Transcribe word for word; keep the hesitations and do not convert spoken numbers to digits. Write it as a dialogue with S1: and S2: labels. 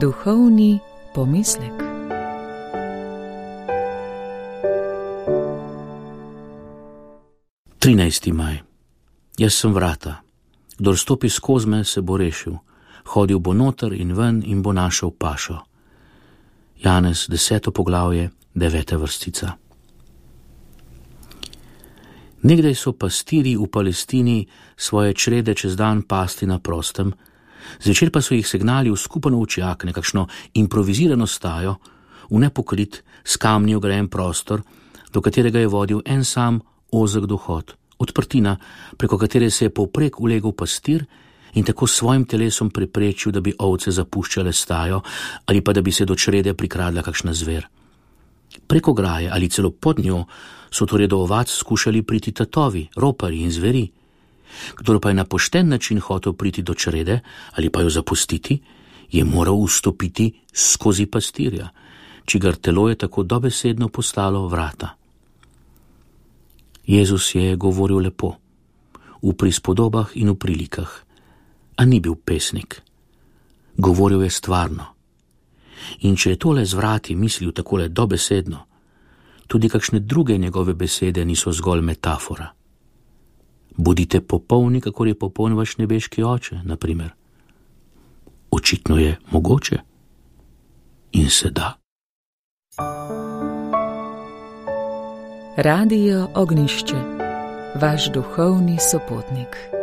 S1: Duhovni pomislek.
S2: trinajsti maj. Jaz sem vrata. Kdor stopi skozi me, se bo rešil. Hodil bo noter in ven in bo našel pašo. Janez, deseto poglavje, deveta vrstica. Nekdaj so pastirji v Palestini svoje črede čez dan pasti na prostem, zvečer pa so jih segnali v skupen ovčjak, nekakšno improvizirano stajo, v nepokrit, s kamni ograjen prostor, do katerega je vodil en sam ozek dohod, odprtina, preko katere se je povprek ulegel pastir in tako s svojim telesom preprečil, da bi ovce zapuščale stajo ali pa da bi se do črede prikradla kakšna zver. Preko graje ali celo pod njo so torej do ovac skušali priti tatovi, ropari in zveri. Kdor pa je na pošten način hotel priti do črede ali pa jo zapustiti, je moral vstopiti skozi pastirja, čigar telo je tako dobesedno postalo vrata. Jezus je govoril lepo, v prispodobah in v prilikah, a ni bil pesnik. Govoril je stvarno. In če je tole z vrati mislil takole dobesedno, tudi kakšne druge njegove besede niso zgolj metafora. Bodite popolni, kakor je popoln vaš nebeški oče, na primer. Očitno je mogoče in se da.
S1: Radio Ognjišče, vaš duhovni sopotnik.